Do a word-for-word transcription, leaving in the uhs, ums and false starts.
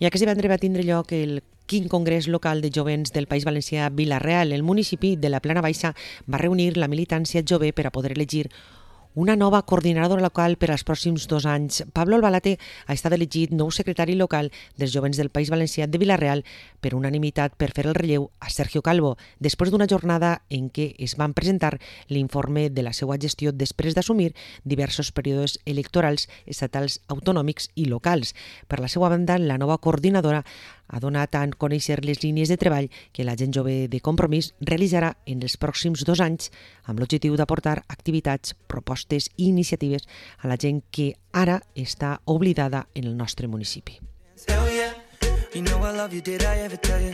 I aquest divendres va tindre lloc el quinc Congrés Local de Jovents del País Valencià a Vila-real. El municipi de la Plana Baixa va reunir la militància jove per a poder elegir una nova coordinadora local per als pròxims dos anys. Pablo Albalate ha estat elegit nou secretari local dels Jovents del País Valencià de Vila-real per unanimitat per fer el relleu a Sergio Calvo, després d'una jornada en què es van presentar l'informe de la seva gestió després d'assumir diversos períodes electorals estatals, autonòmics i locals. Per la seva banda, la nova coordinadora ha donat a conèixer les línies de treball que la gent jove de Compromís realitzarà en els pròxims dos anys amb l'objectiu d'aportar activitats, propostes i iniciatives a la gent que ara està oblidada en el nostre municipi.